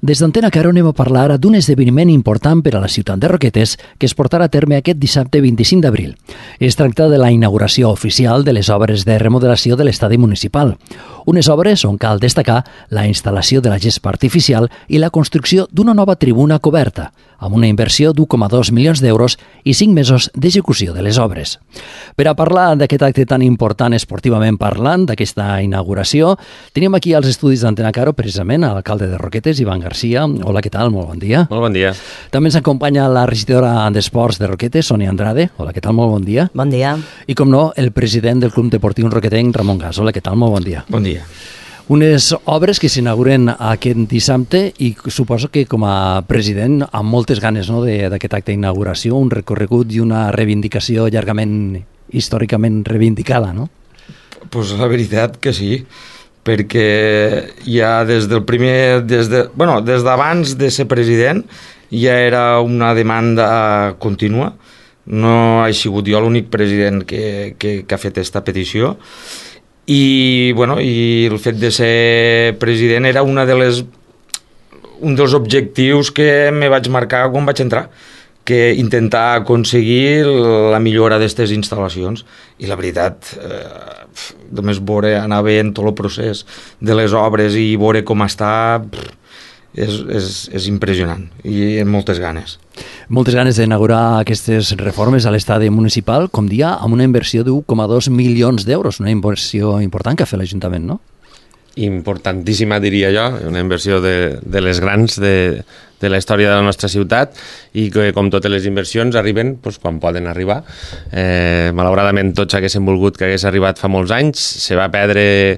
Des d'Antena Caro anem a parlar ara d'un esdeveniment important per a la ciutat de Roquetes que es portarà a terme aquest dissabte 25 d'abril. Es tracta de la inauguració oficial de les obres de remodelació de l'estadi municipal. Unes obres on cal destacar la instal·lació de la gespa artificial i la construcció d'una nova tribuna coberta, amb una inversió d'1,2 milions d'euros i 5 mesos d'execució de les obres. Per a parlar d'aquest acte tan important esportivament parlant, d'aquesta inauguració, tenim aquí als estudis d'Antena Caro precisament l'alcalde de Roquetes, Ivan Garcia. Hola, què tal? Molt bon dia. Molt bon dia. També ens acompanya la regidora d'Esports de Roquetes, Sonia Andrade. Hola, què tal? Molt bon dia. Bon dia. I, com no, el president del Club Deportiu Roquetenc, Ramon Gas. Hola, què tal? Molt bon dia. Bon dia. Unes obres que s'inauguren aquest dissabte i suposo que com a president amb moltes ganes, no, d'aquest acte d'inauguració, un recorregut i una reivindicació llargament, històricament reivindicada, no? Pues la veritat que sí, perquè ja des d'abans de ser president ja era una demanda contínua. No he sigut jo l'únic president que ha fet aquesta petició. I el fet de ser president era un dels objectius que me vaig marcar quan vaig entrar, que intentar aconseguir la millora d'aquestes instal·lacions. I la veritat, només anar veient tot el procés de les obres i veure com està, és impressionant i amb moltes ganes. Moltes ganes d'inaugurar aquestes reformes a l'estadi municipal, com dia, amb una inversió d'1,2 milions d'euros, una inversió important que ha fet l'Ajuntament, no? Importantíssima, diria jo, una inversió de les grans de la història de la nostra ciutat i que, com totes les inversions, arriben quan poden arribar. Malauradament, tots haguéssim volgut que hagués arribat fa molts anys. Se va perdre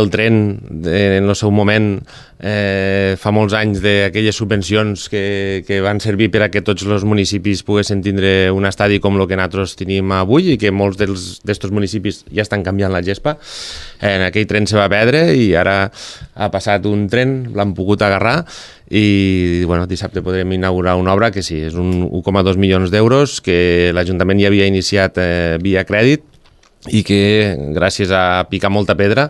el tren en el seu moment fa molts anys d'aquelles subvencions que van servir per a que tots els municipis poguessin tindre un estadi com el que nosaltres tenim avui i que molts d'estos municipis ja estan canviant la gespa. En aquell tren se va perdre i ara ha passat un tren, l'han pogut agarrar i dissabte podrem inaugurar una obra que sí, és un 1,2 milions d'euros que l'Ajuntament ja havia iniciat via crèdit i que gràcies a picar molta pedra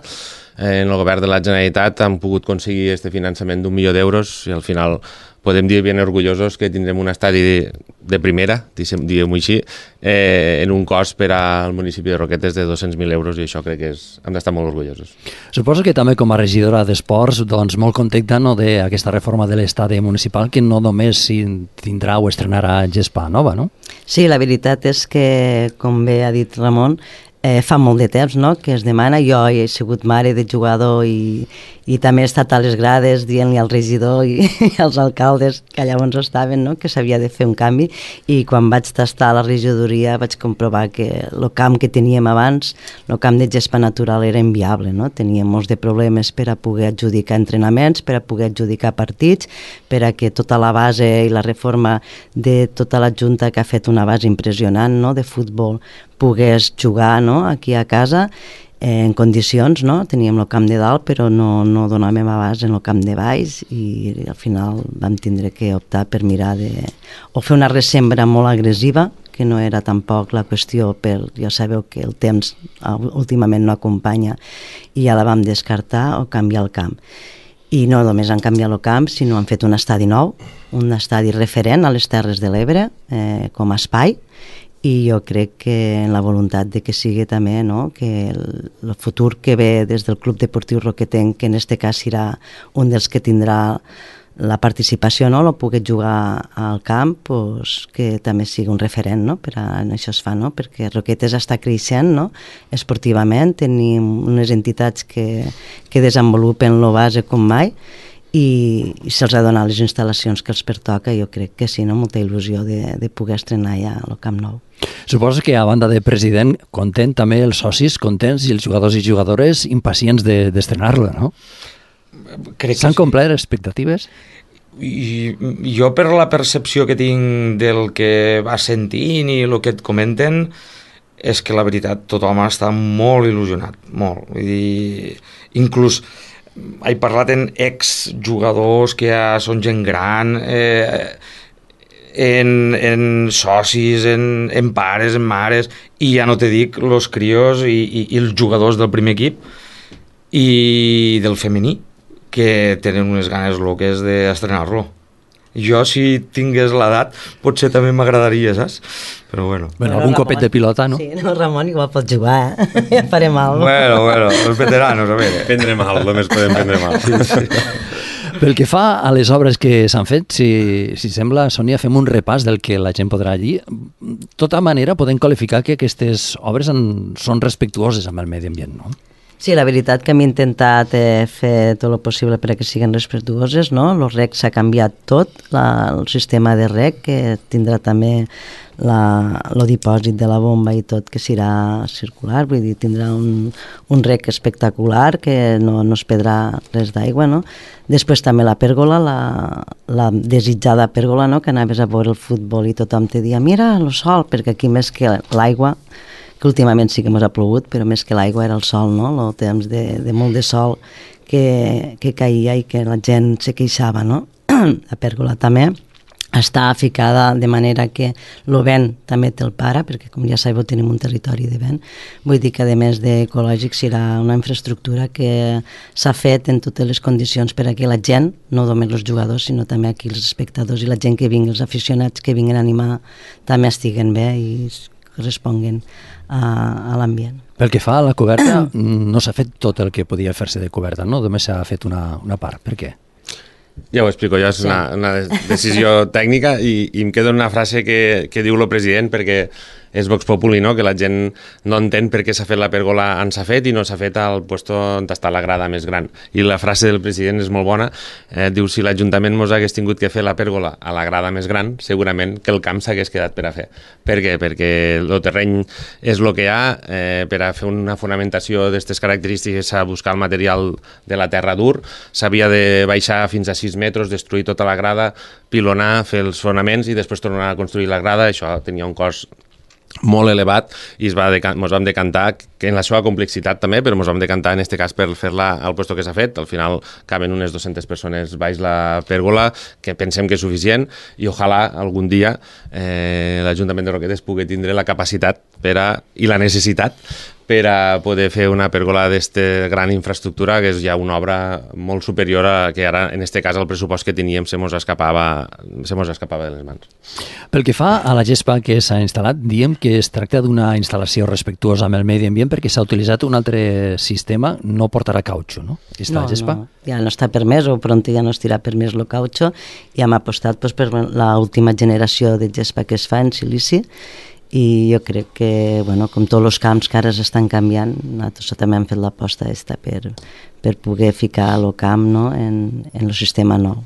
en el govern de la Generalitat han pogut aconseguir aquest finançament d'1 milió d'euros i al final podem dir ben orgullosos que tindrem un estadi de primera, diguem-ho així, en un cost per al municipi de Roquetes de 200.000 euros i això crec que hem d'estar molt orgullosos. Suposo que també com a regidora d'Esports molt contenta d'aquesta reforma de l'estadi municipal que no només tindrà o estrenarà gespa nova, no? Sí, la veritat és que, com bé ha dit Ramon, fa molt de temps, no?, que es demana. Jo he sigut mare de jugador i també he estat a les grades dient-li al regidor i als alcaldes que llavors estaven, no?, que s'havia de fer un canvi, i quan vaig tastar a la regidoria vaig comprovar que el camp que teníem abans, el camp de gespa natural, era inviable, no? Teníem molts de problemes per a poder adjudicar entrenaments, per a poder adjudicar partits, per a que tota la base i la reforma de tota la Junta, que ha fet una base impressionant, no?, de futbol, pogués jugar, no?, aquí a casa en condicions, no? Teníem el camp de dalt però no donàvem abast en el camp de baix i al final vam tindre que optar per mirar o fer una resembra molt agressiva, que no era tampoc la qüestió, ja sabeu que el temps últimament no acompanya, i ja la vam descartar, o canviar el camp. I no només han canviat el camp, sinó han fet un estadi nou, un estadi referent a les Terres de l'Ebre com a espai, i jo crec que en la voluntat de que sigui també, no?, que el futur que ve des del Club Deportiu Roquetenc, que en aquest cas serà un dels que tindrà la participació, no?, el poder jugar al camp, pues, que també sigui un referent, no?, per a això es fa, no?, perquè Roquetes està creixent, no?, esportivament, tenim unes entitats que desenvolupen el base com mai, i se'ls ha donat les instal·lacions que els pertoca. Jo crec que sí, no?, molta il·lusió de poder estrenar ja el Camp Nou. Suposo que a banda de president, content també els socis contents i els jugadors i jugadores impacients d'estrenar-lo, no? S'han complert expectatives? I jo, per la percepció que tinc del que va sentint i el que et comenten, és que la veritat tothom està molt il·lusionat, molt. Vull dir, inclús he parlat amb exjugadors que ja són gent gran, en socis, en pares, en mares, i ja no te dic els crios i els jugadors del primer equip i del femení, que tenen unes ganes loques d'estrenar-lo. Jo, si tingués l'edat, potser també m'agradaria, saps? Però bueno. Bueno, algun copet de pilota, no? Sí, no, Ramon igual pot jugar, ja faré mal. Bueno, els veteranos, a veure. Prendre mal, només podem prendre mal. Pel que fa a les obres que s'han fet, si sembla, Sònia, fem un repàs del que la gent podrà allí. De tota manera, podem qualificar que aquestes obres són respectuoses amb el medi ambient, no? Sí, la veritat que hem intentat fer tot el possible perquè siguin respectuoses, no? El rec s'ha canviat tot, el sistema de rec, que tindrà també el dipòsit de la bomba i tot, que serà circular, vull dir, tindrà un rec espectacular, que no es perdrà res d'aigua, no? Després també la pèrgola, la desitjada pèrgola, no? Que anaves a veure el futbol i tothom te dia, mira, el sol, perquè aquí més que l'aigua, que últimament sí que ens ha plogut, però més que l'aigua era el sol, no? El temps de molt de sol que caïa i que la gent se queixava, no? La pèrgola també està ficada de manera que el vent també te'l para, perquè com ja sabeu tenim un territori de vent. Vull dir que a més d'ecològic serà una infraestructura que s'ha fet en totes les condicions per a que la gent, no només els jugadors, sinó també aquí els espectadors i la gent que vingui, els aficionats que vinguin a animar, també estiguen bé i responguen a l'ambient. Pel que fa a la coberta, no s'ha fet tot el que podia fer-se de coberta, no? Només s'ha fet una part. Per què? Ja ho explico, ja és una decisió tècnica i em queda una frase que diu el president, perquè és Vox Populi, no? Que la gent no entén per què s'ha fet la pèrgola on s'ha fet i no s'ha fet al lloc on està la grada més gran. I la frase del president és molt bona, diu, si l'Ajuntament mos hagués tingut que fer la pèrgola a la grada més gran, segurament que el camp s'hagués quedat per a fer. Per què? Perquè el terreny és el que hi ha, per a fer una fonamentació d'aquestes característiques s'ha de buscar el material de la terra dur, s'havia de baixar fins a 6 metres, destruir tota la grada, pilonar, fer els fonaments i després tornar a construir la grada. Això tenia un cost molt elevat i ens vam decantar, que en la seva complexitat també, però ens vam decantar en aquest cas per fer-la al lloc que s'ha fet. Al final caben unes 200 persones baix la pèrgola, que pensem que és suficient, i ojalà algun dia l'Ajuntament de Roquetes pugui tindre la capacitat i la necessitat per a poder fer una pèrgola d'esta gran infraestructura, que és ja una obra molt superior a que ara, en aquest cas, el pressupost que teníem se mos escapava de les mans. Pel que fa a la gespa que s'ha instal·lat, diem que es tracta d'una instal·lació respectuosa amb el medi ambient perquè s'ha utilitzat un altre sistema, no portarà cautxo, no? No, ja no està permès, o pront ja no estarà permès el cautxo, i hem apostat per l'última generació de gespa que es fa en silici, i jo crec que, com tots els camps que ara s'estan canviant, nosaltres també hem fet l'aposta per poder ficar el camp, no, en el sistema nou.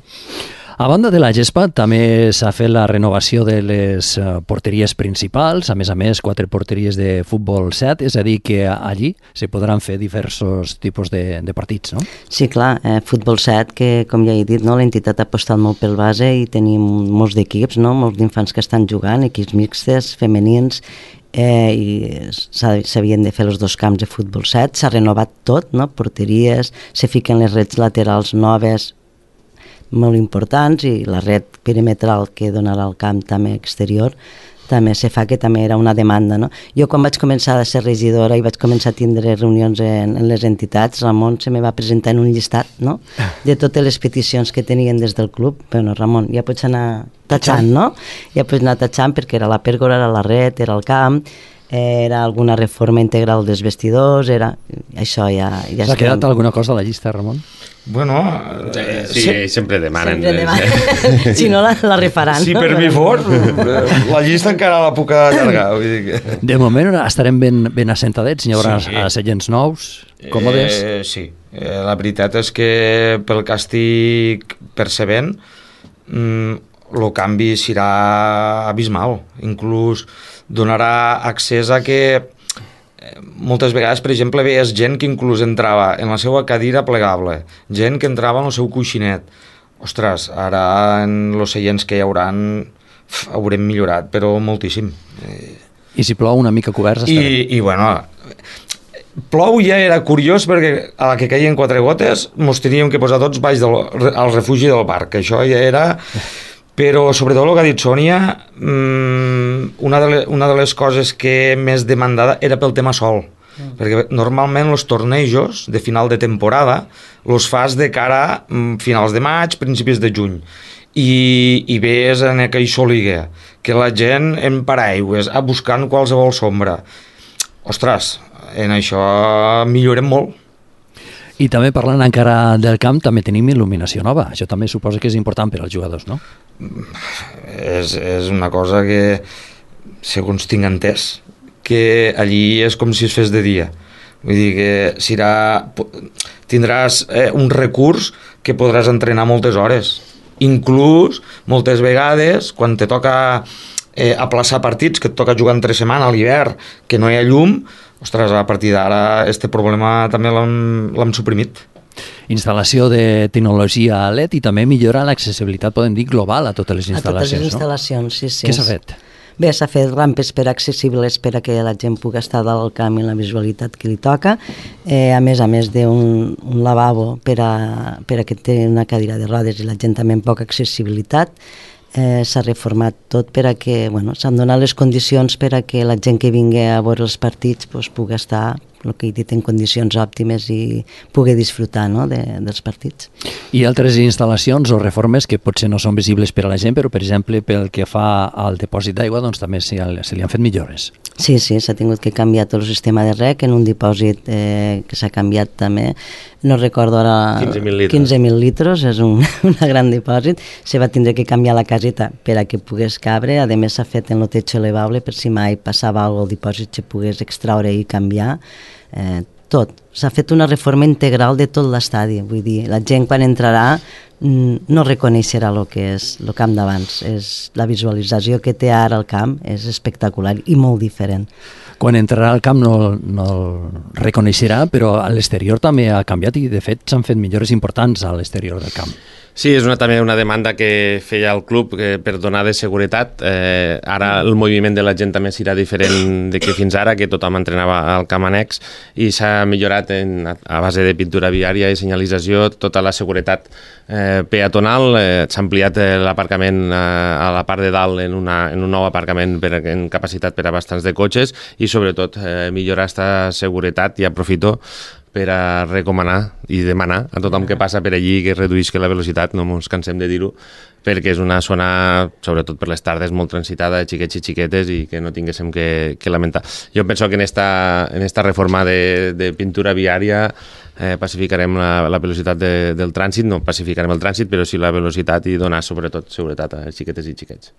A banda de la gespa, també s'ha fet la renovació de les porteries principals, a més, 4 porteries de futbol 7, és a dir, que allí se podran fer diversos tipus de partits, no? Sí, clar, futbol 7, que com ja he dit, no, l'entitat ha apostat molt pel base i tenim molts d'equips, no, molts d'infants que estan jugant, equips mixtes, femenins, i s'havien de fer els 2 camps de futbol 7, s'ha renovat tot, no, porteries, se fiquen les rets laterals noves, molt importants, i la red perimetral que donarà al camp també exterior també se fa, que també era una demanda, no? Jo quan vaig començar a ser regidora i vaig començar a tindre reunions en les entitats, Ramon se me va presentar en un llistat, no?, de totes les peticions que tenien des del club. Bueno, Ramon, ja pots anar tatxant, no? Ja pots anar tatxant, perquè era la pèrgola, era la red, era el camp, era alguna reforma integral dels vestidors, era... Això ja s'ha quedat alguna cosa a la llista, Ramon? Bueno... Sí, sempre demanen. Si no, la refaran. Si per mi fos, la llista encara la puc allargar. Vull dir que... De moment estarem ben assentadets, hi haurà seients nous, còmodes. Sí, la veritat és que pel que estic percebent, el canvi serà abismal. Inclús donarà accés a que moltes vegades, per exemple, veies gent que inclús entrava en la seva cadira plegable, gent que entrava en el seu coixinet. Ostres, ara en els seients que hi haurem millorat, però moltíssim. I si plou una mica coberts estarem. I bueno, plou ja era curiós, perquè a la que caien 4 gotes mos teníem que posar tots baix al refugi del parc, això ja era... Però sobretot el que ha dit Sònia, una de les coses que més demandada era pel tema sol. perquè normalment els tornejos de final de temporada els fas de cara a finals de maig, principis de juny, i ves en aquell soliguer que la gent en paraigües buscant qualsevol sombra. Ostres, en això millorem molt. I també parlant encara del camp, també tenim il·luminació nova. Això també suposa que és important per als jugadors, no? És una cosa que, segons tinc entès, que allí és com si es fes de dia. Vull dir que tindràs un recurs que podràs entrenar moltes hores. Inclús, moltes vegades, quan te toca aplaçar partits, que et toca jugar entre setmana a l'hivern, que no hi ha llum, ostres, a partir d'ara este problema també l'hem suprimit. Instal·lació de tecnologia LED i també millora l'accessibilitat, podem dir, global a totes les instal·lacions, a totes les instal·lacions, sí. Què s'ha fet? Bé, s'ha fet rampes accessibles per a que la gent pugui estar dalt al camp i la visualitat que li toca, a més d'un lavabo per a que té una cadira de rodes i la gent també amb poca accessibilitat. S'ha reformat tot per a que, s'han donat les condicions per a que la gent que vingui a veure els partits pugui estar, el que he dit, en condicions òptimes i pugui disfrutar dels partits. I altres instal·lacions o reformes que potser no són visibles per a la gent, però per exemple pel que fa al dipòsit d'aigua doncs també se li han fet millores. Sí, s'ha tingut que canviar tot el sistema de rec en un dipòsit que s'ha canviat també, no recordo ara... 15.000 litres, és un gran dipòsit. Se va tindre que canviar la caseta per a que pogués cabre, a més s'ha fet en el techo elevable per si mai passava alguna cosa al dipòsit se pogués extraure i canviar. Tot. S'ha fet una reforma integral de tot l'estadi, vull dir, la gent quan entrarà no reconeixerà el que és el camp d'abans. La visualització que té ara el camp és espectacular i molt diferent. Quan entrarà al camp no el reconeixerà, però a l'exterior també ha canviat i de fet s'han fet millores importants a l'exterior del camp. Sí, és també una demanda que feia el club per donar de seguretat. Ara el moviment de la gent també serà diferent de que fins ara, que tothom entrenava al camp annex, i s'ha millorat a base de pintura viària i senyalització tota la seguretat peatonal. S'ha ampliat l'aparcament a la part de dalt en un nou aparcament en capacitat per a bastants de cotxes i sobretot millorar aquesta seguretat, i aprofito per a recomanar i demanar a tothom que passa per allí que reduïsca la velocitat, no ens cansem de dir-ho, perquè és una zona, sobretot per les tardes, molt transitada de xiquets i xiquetes i que no tinguéssim que lamentar. Jo penso que en esta reforma de pintura viària pacificarem la velocitat del trànsit, no pacificarem el trànsit, però sí la velocitat i donar sobretot seguretat a xiquetes i xiquets.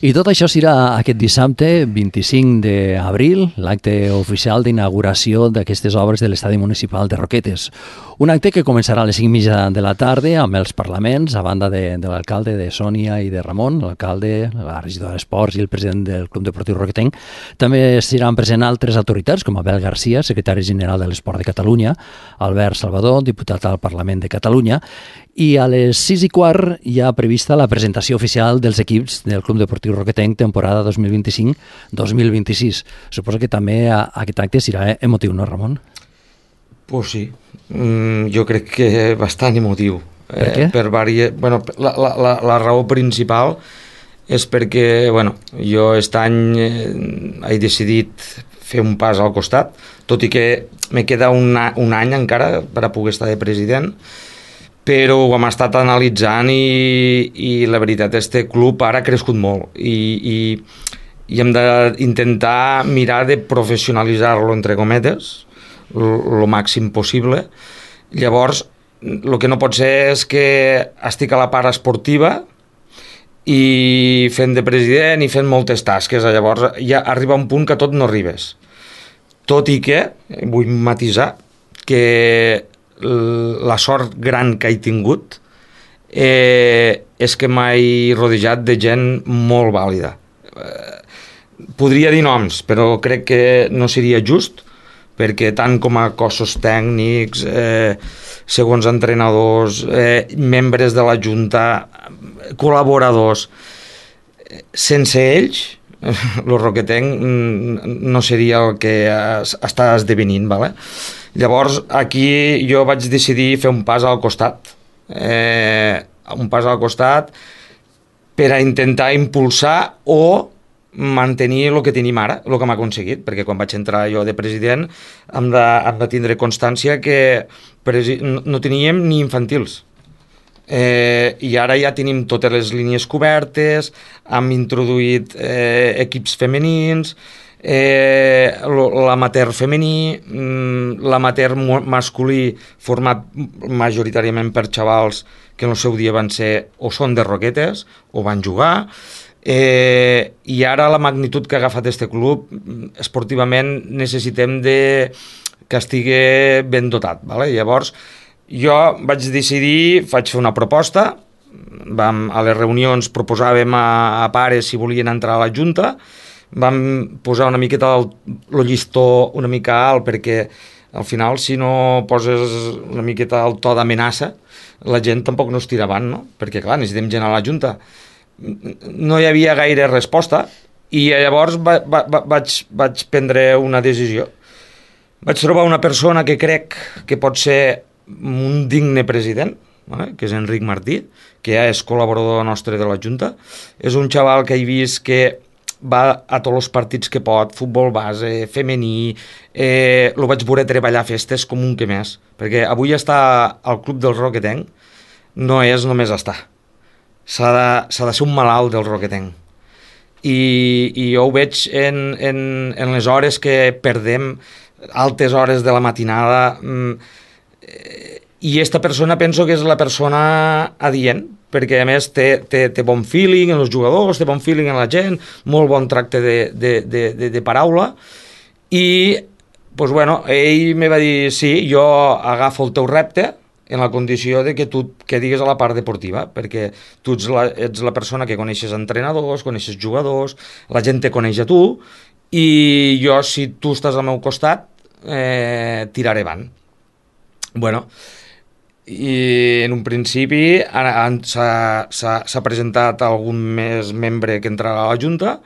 I tot això serà aquest dissabte, 25 d'abril, l'acte oficial d'inauguració d'aquestes obres de l'estadi municipal de Roquetes. Un acte que començarà a les 5:30 de la tarda amb els parlaments, a banda de l'alcalde de Sònia i de Ramon, l'alcalde, la regidora d'Esports i el president del Club Deportiu Roquetenc. També seran presents altres autoritats, com Abel Garcia, secretari general de l'Esport de Catalunya, Albert Salvador, diputat al Parlament de Catalunya, i a les 6:15 hi ha prevista la presentació oficial dels equips del Club Deportiu Roquetenc temporada 2025-2026. Suposo que també aquest acte serà emotiu, no, Ramon? Pues sí, jo crec que bastant emotiu. Per què? La raó principal és perquè jo aquest any he decidit fer un pas al costat, tot i que me queda un any encara per a poder estar de president, però ho hem estat analitzant i la veritat, este club ara ha crescut molt i hem d'intentar mirar de professionalitzar-lo, entre cometes, el màxim possible. Llavors, el que no pot ser és que estic a la part esportiva i fent de president i fent moltes tasques. Llavors ja arriba un punt que tot no arribes. Tot i que, vull matisar, que la sort gran que he tingut és que m'he rodejat de gent molt vàlida. Podria dir noms, però crec que no seria just, perquè tant com a cossos tècnics, segons entrenadors, membres de la Junta, col·laboradors, sense ells, el Roquetenc no seria el que està esdevenint. Vale? Llavors, aquí jo vaig decidir fer un pas al costat, per a intentar impulsar o mantenir el que tenim ara, el que hem aconseguit, perquè quan vaig entrar jo de president hem de tindre constància que no teníem ni infantils. I ara ja tenim totes les línies cobertes, hem introduït equips femenins, l'amateur femení, l'amateur masculí format majoritàriament per xavals que en el seu dia van ser o són de Roquetes o van jugar, i ara la magnitud que ha agafat este club esportivament necessitem que estigui ben dotat, vale? Llavors jo vaig decidir, vaig fer una proposta, a les reunions proposàvem a pares si volien entrar a la Junta, vam posar una miqueta el llistó una mica alt, perquè al final si no poses una miqueta el to d'amenaça la gent tampoc no es tira avant, no? Perquè clar, necessitem gent a la Junta. No hi havia gaire resposta i llavors vaig prendre una decisió. Vaig trobar una persona que crec que pot ser un digne president, vale? Que és Enric Martí, que ja és col·laborador nostre de la Junta. És un xaval que he vist que va a tots els partits que pot, futbol base, femení, lo vaig veure treballar festes com un que més, perquè avui estar al club del Roquetenc no és només estar. S'ha de ser un malalt del Roquetenc. I jo ho veig en les hores que perdem, altes hores de la matinada, i esta persona penso que és la persona adient, perquè a més té bon feeling en els jugadors, té bon feeling en la gent, molt bon tracte de paraula, i pues bueno, ell me va dir, sí, jo agafo el teu repte, en la condició de que tu que digues a la part deportiva, perquè tu ets la persona que coneixes entrenadors, coneixes jugadors, la gent te coneix a tu, i jo, si tu estàs al meu costat, tiraré avant. Bueno, i en un principi s'ha presentat algun més membre que entrarà a la Junta,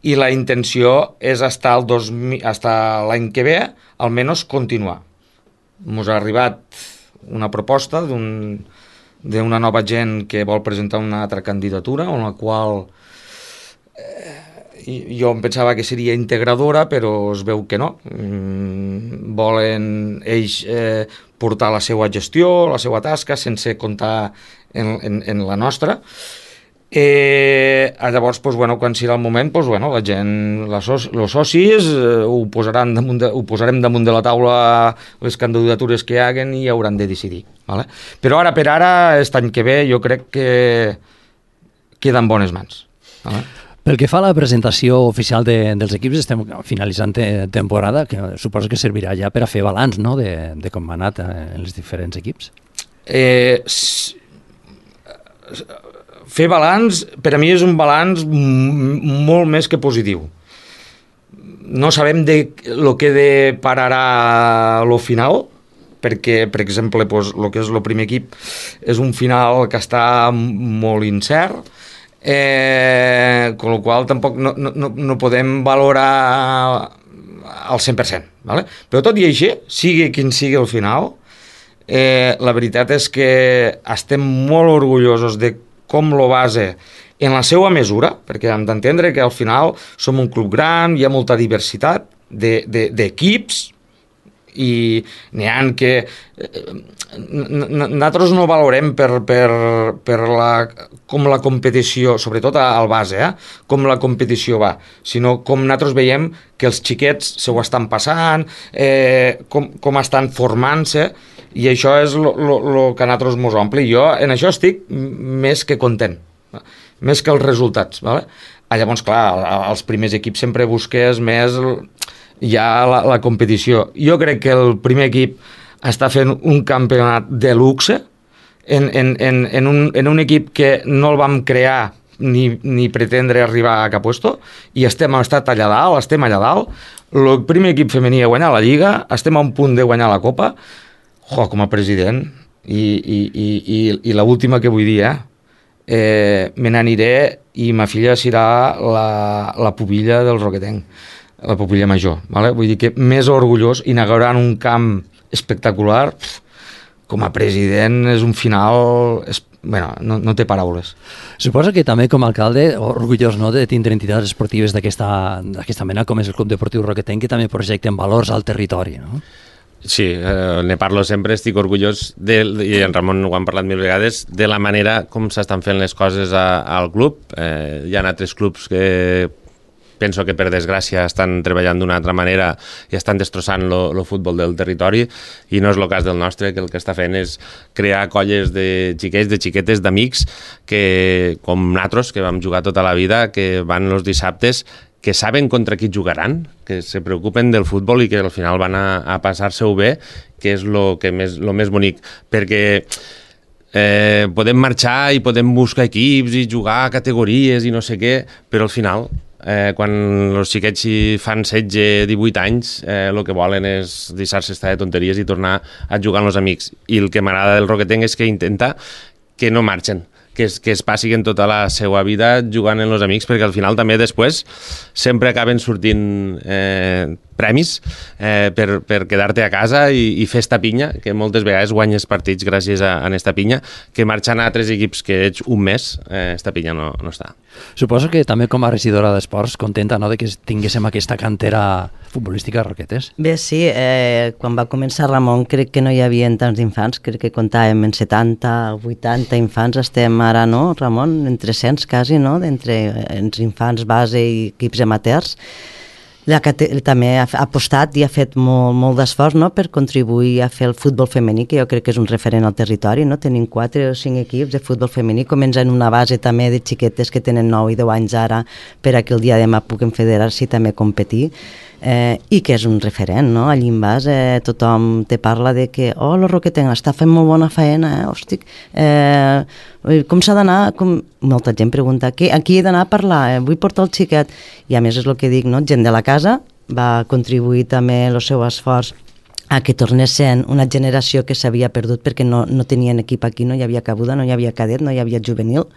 i la intenció és estar l'any que ve, almenys continuar. Ens ha arribat una proposta d'una nova gent que vol presentar una altra candidatura, en la qual jo em pensava que seria integradora, però es veu que no. Volen ells portar la seva gestió, la seva tasca, sense comptar en la nostra. Llavors, pues, bueno, quan serà el moment, pues, bueno, la gent, els socis, ho posarem damunt de la taula les candidatures que hi haguen i hauran de decidir. Vale? Però ara per ara, aquest any que ve, jo crec que queda en bones mans. Vale? Pel que fa a la presentació oficial dels equips, estem finalitzant temporada, que suposo que servirà ja per a fer balanç, no?, de com ha anat en els diferents equips. Fer balanç, per a mi és un balanç molt més que positiu. No sabem el que depararà lo final, perquè, per exemple, el que és el primer equip és un final que està molt incert, con la qual tampoc no podem valorar al 100%. Vale? Però tot i així, sigui quin sigui el final, la veritat és que estem molt orgullosos de com lo base en la seva mesura, perquè hem d'entendre que al final som un club gran, hi ha molta diversitat d'equips, i n'hi ha que nosaltres no valorem per com la competició, sobretot al base, com la competició va, sinó com nosaltres veiem que els xiquets se ho estan passant, com estan formant-se, i això és el que a nosaltres mos omple. Jo en això estic més que content, més que els resultats. Vale? Llavors, clar, els primers equips sempre busques més ja la competició. Jo crec que el primer equip està fent un campionat de luxe en un equip que no el vam crear ni pretendre arribar a cap puesto, i estem allà dalt. El primer equip femení ha guanyat la Lliga, estem a un punt de guanyar la Copa. Com a president, i l'última que vull dir, me n'aniré i ma filla serà la pubilla del Roquetenc, la pubilla major. Vale? Vull dir que més orgullós, inaugurant un camp espectacular, com a president és un final bueno, no té paraules. Suposo que també com a alcalde orgullós, no?, de tindre entitats esportives d'aquesta mena com és el Club Deportiu Roquetenc, que també projecten valors al territori, no? Sí, ne parlo sempre, estic orgullós, i en Ramon ho han parlat mil vegades, de la manera com s'estan fent les coses al club. Hi ha altres clubs que penso que per desgràcia estan treballant d'una altra manera i estan destrossant el futbol del territori, i no és el cas del nostre, que el que està fent és crear colles de xiquets, de xiquetes, d'amics, que com nosaltres, que vam jugar tota la vida, que van els dissabtes, que saben contra qui jugaran, que se preocupen del futbol i que al final van a passar-se-ho bé, que és lo més bonic, perquè podem marxar i podem buscar equips i jugar a categories i no sé què, però al final, quan els xiquets fan 16-18 anys, el que volen és deixar-se estar de tonteries i tornar a jugar amb els amics. I el que m'agrada del Roquetenc és que intenta que no marxen, que es passin tota la seva vida jugant amb els amics, perquè al final també després sempre acaben sortint premis per quedar-te a casa i fer esta pinya, que moltes vegades guanyes partits gràcies a esta pinya, que marxant a altres equips que ets un mes, esta pinya no està. Suposo que també com a regidora d'Esports, contenta, no?, de que tinguéssim aquesta cantera futbolística a Roquetes. Bé, sí, quan va començar Ramon crec que no hi havia tants infants, crec que comptàvem en 70, 80 infants, estem ara, no, Ramon, en 300 quasi, no?, d'entre els infants base i equips amateurs. També ha apostat i ha fet molt d'esforç, no?, per contribuir a fer el futbol femení, que jo crec que és un referent al territori, no? Tenim 4 o 5 equips de futbol femení, comencen una base també de xiquetes que tenen 9 i 10 anys ara per a que el dia de demà puguin federar-se i també competir, i que és un referent, no? Allí en vas, tothom te parla de que el Roquetenc està fent molt bona feina, hosti, com s'ha d'anar, molta gent pregunta, a qui he d'anar a parlar, vull portar el xiquet, i a més és el que dic, no? Gent de la casa va contribuir també el seu esforç a que tornés sent una generació que s'havia perdut perquè no tenien equip aquí, no hi havia cabuda, no hi havia cadet, no hi havia juvenil,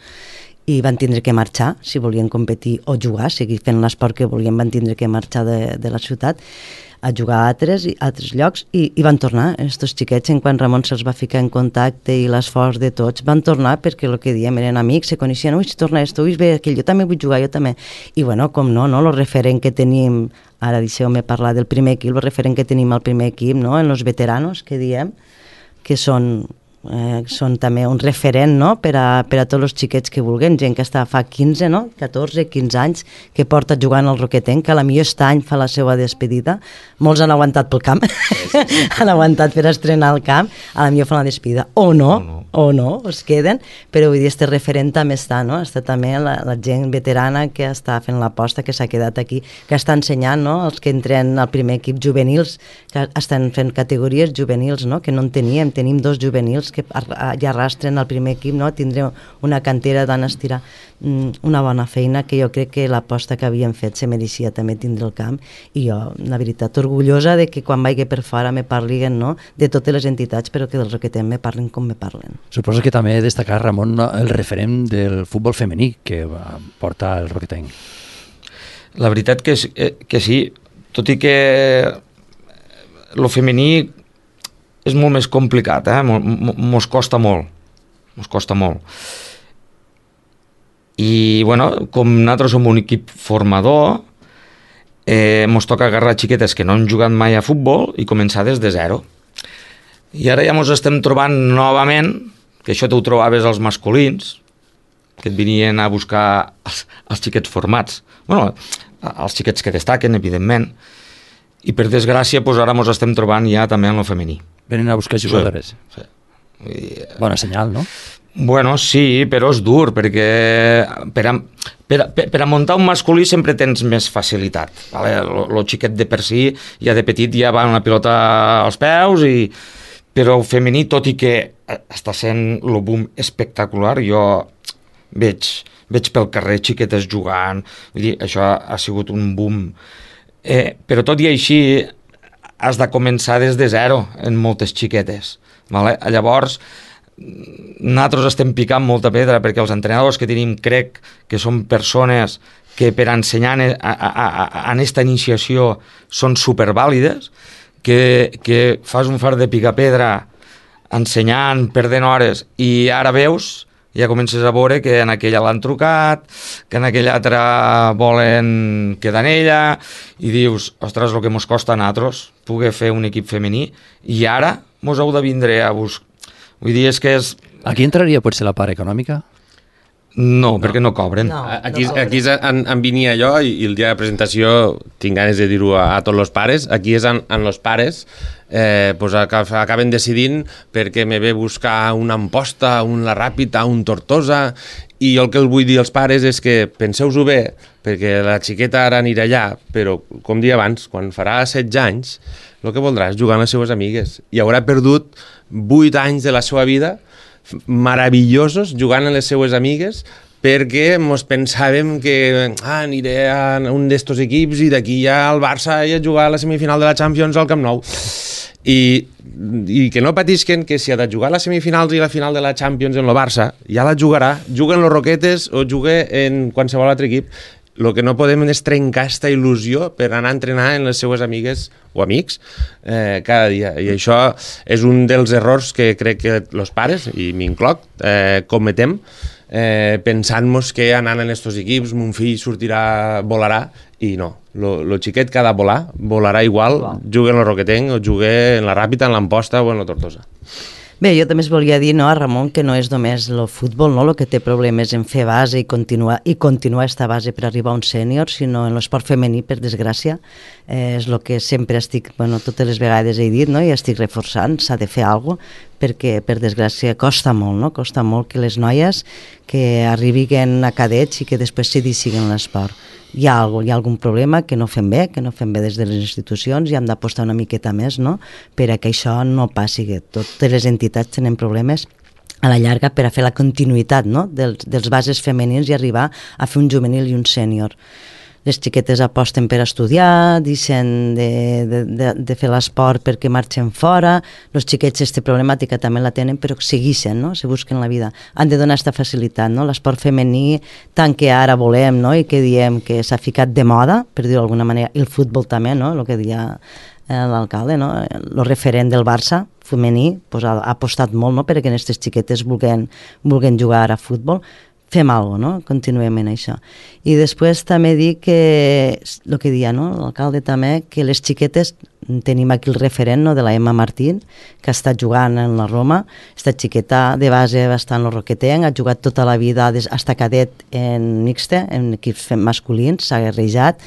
i van tindre que marxar, si volien competir o jugar, seguir fent l'esport que volien, van tindre que marxar de la ciutat a jugar a altres llocs i van tornar. Estos xiquets, en quan Ramon se'ls va ficar en contacte i l'esforç de tots, van tornar perquè el que diem eren amics, se coneixien, ui, si torna esto, ui, bé, aquell, jo també vull jugar, jo també. I bueno, com no, el referent que tenim, ara deixeu-me parlar del primer equip, el referent que tenim al primer equip, no?, en los veteranos, que diem, que són també un referent, no?, per a tots els xiquets que vulguin, gent que està fa 15, no?, 14, 15 anys, que porta jugant al Roquetenc, que a la millor aquest any fa la seva despedida, molts han aguantat pel camp, han aguantat per estrenar el camp, a la millor fa la despedida, o no, es queden, però vull dir, este referent també està, no?, està també la gent veterana que està fent l'aposta, que s'ha quedat aquí, que està ensenyant, no?, els que entren al primer equip juvenils, que estan fent categories juvenils, no?, que no en tenim 2 juvenils que ja arrastren al primer equip, no?, tindré una cantera d'anes tirar una bona feina, que jo crec que l'aposta que havien fet se mereixia també tindre el camp, i jo, la veritat, orgullosa de que quan vagi per fora me parlin, no?, de totes les entitats, però que del Roquetenc me parlin com me parlen. Suposo que també destacar, Ramon, el referent del futbol femení que porta el Roquetenc. La veritat que sí, tot i que lo femení és molt més complicat, mos costa molt. I, bueno, com nosaltres som un equip formador, mos toca agarrar xiquetes que no han jugat mai a futbol i començar des de zero. I ara ja mos estem trobant novament, que això t'ho trobaves als masculins, que et venien a buscar els xiquets formats. Bueno, els xiquets que destaquen, evidentment, i per desgràcia doncs ara ens estem trobant ja també en el femení. Venen a buscar jugadores. Sí. Bona senyal, no? Bueno, sí, però és dur, perquè per a muntar un masculí sempre tens més facilitat. Vale? El xiquet de per si ja de petit ja va una pilota als peus, però el femení, tot i que està sent el boom espectacular, jo veig pel carrer xiquetes jugant, vull dir, això ha sigut un boom. Però tot i així has de començar des de zero en moltes xiquetes. Vale? Llavors, nosaltres estem picant molta pedra perquè els entrenadors que tenim crec que són persones que per ensenyar en aquesta iniciació són supervàlides, que fas un fart de picar pedra ensenyant, perdent hores, i ara veus ja comences a veure que en aquella l'han trucat, que en aquella altra volen quedar en ella, i dius, ostres, el que mos costa a nosaltres poder fer un equip femení, i ara mos heu de vindre a buscar. Vull dir, és que és... Aquí entraria potser la part econòmica? No, perquè no cobren. No. Aquí en venia jo i el dia de presentació tinc ganes de dir-ho a tots els pares. Aquí és en els pares pues acaben decidint perquè me ve buscar una Amposta, un La Ràpita, un Tortosa, i jo el que els vull dir als pares és que penseu-ho bé, perquè la xiqueta ara anirà allà, però com dia abans, quan farà 16 anys, el que voldrà és jugar amb les seues amigues i haurà perdut 8 anys de la seva vida meravellosos jugant amb les seues amigues perquè mos pensàvem que aniré a un d'estos equips i d'aquí ja al Barça i a jugar a la semifinal de la Champions al Camp Nou. I que no patisquen que si ha de jugar a les semifinals i la final de la Champions en el Barça, ja la jugarà, juga en los Roquetes o juga en qualsevol altre equip. El que no podem és trencar aquesta il·lusió per anar a entrenar en les seues amigues o amics cada dia. I això és un dels errors que crec que els pares, i m'incloc, cometem, pensant-nos que anant en estos equips mon fill volarà, i no. Lo xiquet que ha de volar, volarà igual, jugui en el Roquetenc o jugui en la Ràpita, en l'Amposta o en la Tortosa. Bé, jo també es volia dir, no, a Ramon, que no és només el futbol, no, el que té problemes en fer base i continuar aquesta base per arribar a un sènior, sinó en l'esport femení, per desgràcia. És el que sempre estic, totes les vegades he dit, no, i estic reforçant, s'ha de fer alguna cosa, perquè, per desgràcia, costa molt, no? Costa molt que les noies que arribin a cadets i que després se decidin l'esport. Hi ha algun problema que no fem bé des de les institucions, i hem d'apostar una miqueta més, no?, per a que això no passi, que totes les entitats tenen problemes a la llarga per a fer la continuïtat, no?, dels bases femenins i arribar a fer un juvenil i un sènior. Les xiquetes aposten per estudiar, deixen de fer l'esport perquè marxen fora, els xiquets aquesta problemàtica també la tenen, però segueixen, no?, se busquen la vida. Han de donar aquesta facilitat, no?, l'esport femení, tant que ara volem, no?, i que diem que s'ha ficat de moda, per dir-ho d'alguna manera, i el futbol també, no?, el que deia l'alcalde, no?, el referent del Barça femení pues, ha apostat molt, no?, perquè aquestes xiquetes vulguin jugar a futbol. Fem alguna cosa, no? Continuem en això. I després també dir que, el que deia, no?, l'alcalde també, que les xiquetes, tenim aquí el referent, no?, de la Emma Martín, que està jugant en la Roma, esta xiqueta de base va estar en el Roquetenc, ha jugat tota la vida, hasta cadet en mixte, en equips masculins, s'ha guerrejat,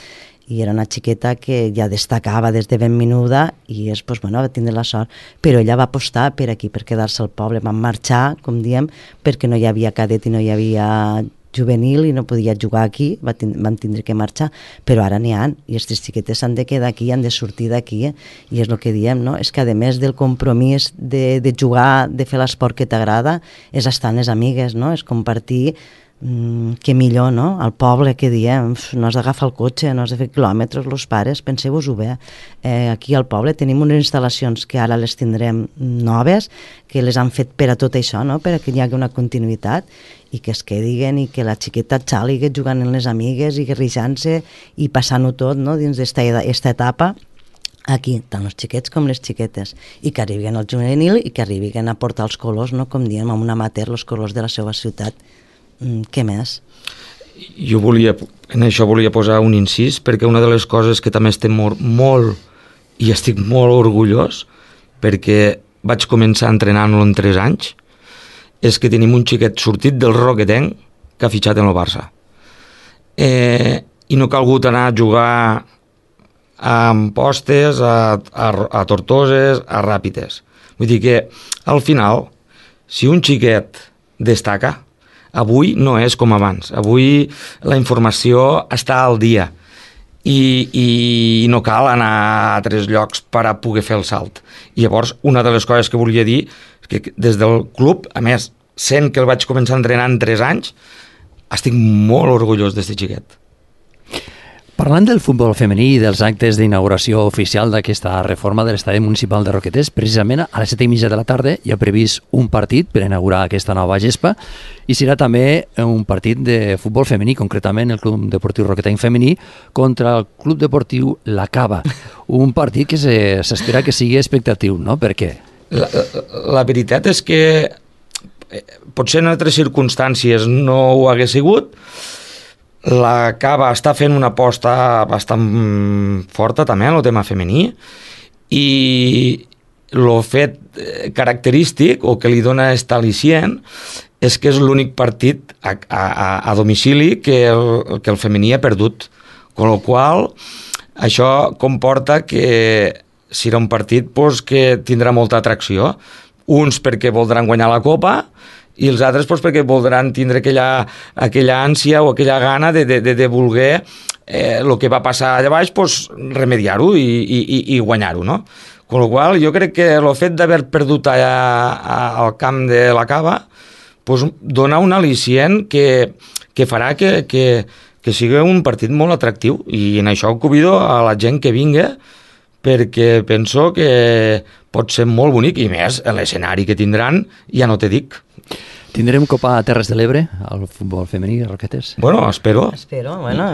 i era una xiqueta que ja destacava des de ben menuda i va tindre la sort, però ella va apostar per aquí, per quedar-se al poble, van marxar, com diem, perquè no hi havia cadet i no hi havia juvenil i no podia jugar aquí, van tindre que marxar, però ara n'hi ha, i aquestes xiquetes han de quedar aquí, han de sortir d'aquí, i és el que diem, no?, és que a més del compromís de jugar, de fer l'esport que t'agrada, és estar amb les amigues, no?, és compartir. Que millor, no?, al poble, que diem, no has d'agafar el cotxe, no has de fer quilòmetres, els pares, penseu-vos-ho bé. Aquí al poble tenim unes instal·lacions que ara les tindrem noves, que les han fet per a tot això, no?, per a que hi hagi una continuïtat i que es quedin i que la xiqueta xàliga jugant amb les amigues i guerrejant-se i passant-ho tot, no?, dins d'esta etapa aquí, tant els xiquets com les xiquetes, i que arribin al juvenil i que arribin a portar els colors, no?, com diem, amb un amateur, els colors de la seva ciutat. Què més? Jo en això volia posar un incís, perquè una de les coses que també estem molt i estic molt orgullós, perquè vaig començar entrenant-lo en 3 anys, és que tenim un xiquet sortit del Roquetenc que ha fitxat en el Barça. I no ha calgut anar a jugar a Ampostes, a Tortoses, a Ràpides. Vull dir que, al final, si un xiquet destaca, avui no és com abans. Avui la informació està al dia i no cal anar a altres llocs per a poder fer el salt. I llavors, una de les coses que volia dir és que des del club, a més, sent que el vaig començar a entrenar en 3 anys, estic molt orgullós d'aquest xiquet. Parlant del futbol femení i dels actes d'inauguració oficial d'aquesta reforma de l'estadi municipal de Roquetes, precisament a les 7:30 de la tarda hi ha previst un partit per inaugurar aquesta nova gespa i serà també un partit de futbol femení, concretament el Club Deportiu Roquetenc femení contra el Club Deportiu La Cava. Un partit que s'espera que sigui expectatiu, no? Per què? La veritat és que potser en altres circumstàncies no ho hagués sigut. La Cava està fent una aposta bastant forta també en el tema femení, i el fet característic o que li dona este al·licient és que és l'únic partit a domicili que el femení ha perdut, amb la qual això comporta que serà un partit que tindrà molta atracció, uns perquè voldran guanyar la Copa i els altres perquè voldran tindre aquella ànsia o aquella gana de voler el que va passar allà baix, remediar-ho i guanyar-ho, no? Amb la qual jo crec que el fet d'haver perdut allà al camp de la Cava dona un al·licient que farà que sigui un partit molt atractiu, i en això convido a la gent que vingui, perquè penso que pot ser molt bonic, i més l'escenari que tindran, ja no te dic. Tindrem Copa a Terres de l'Ebre, al futbol femení, Roquetes? Bueno, espero. Bueno,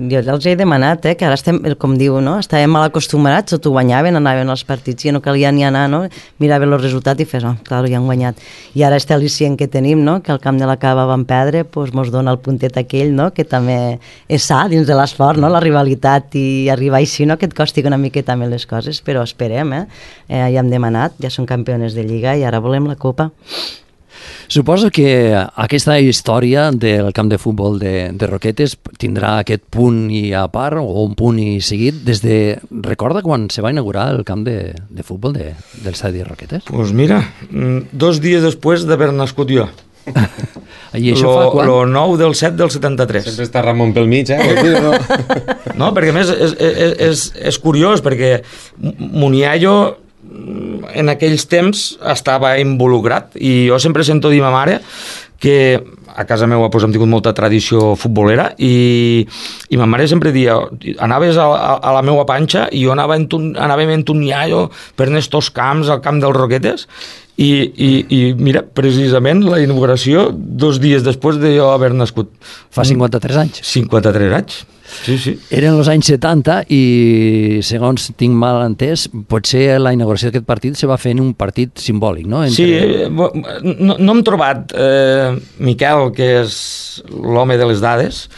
jo els he demanat, que ara estem, com diu, no? Estàvem mal acostumats, o t'ho guanyaven, anaven als partits i no calia ni anar, no? Miraven el resultat i fes, clar, ja han guanyat. I ara este al·licient que tenim, no? Que al camp de la Cava van perdre, mos dona el puntet aquell, no? Que també és sa dins de l'esport, no? La rivalitat, i arribar així, no? Que et costi una miqueta més les coses, però esperem, ja hem demanat, ja són campiones de Lliga i ara volem la Copa. Suposo que aquesta història del camp de futbol de Roquetes tindrà aquest punt i a part, o un punt i seguit, recorda quan se va inaugurar el camp de futbol del estadi de Roquetes? Doncs mira, 2 dies després d'haver nascut jo. I això fa quan? El 9 del 7 del 73. Sempre està Ramon pel mig, No, perquè a més és curiós, perquè Muniayo en aquells temps estava involucrat, i jo sempre sento dir a ma mare que a casa meva hem tingut molta tradició futbolera, i ma mare sempre dia, anaves a la meva panxa i jo anàvem en Muniayo per estos camps, al camp dels Roquetes, i mira, precisament la inauguració 2 dies després de jo haver nascut. Fa 53 anys. 53 anys. Sí. Eren els anys 70 i, segons tinc mal entès, potser la inauguració d'aquest partit se va fer en un partit simbòlic, no? Sí, no hem trobat Miquel, que és l'home de les dades.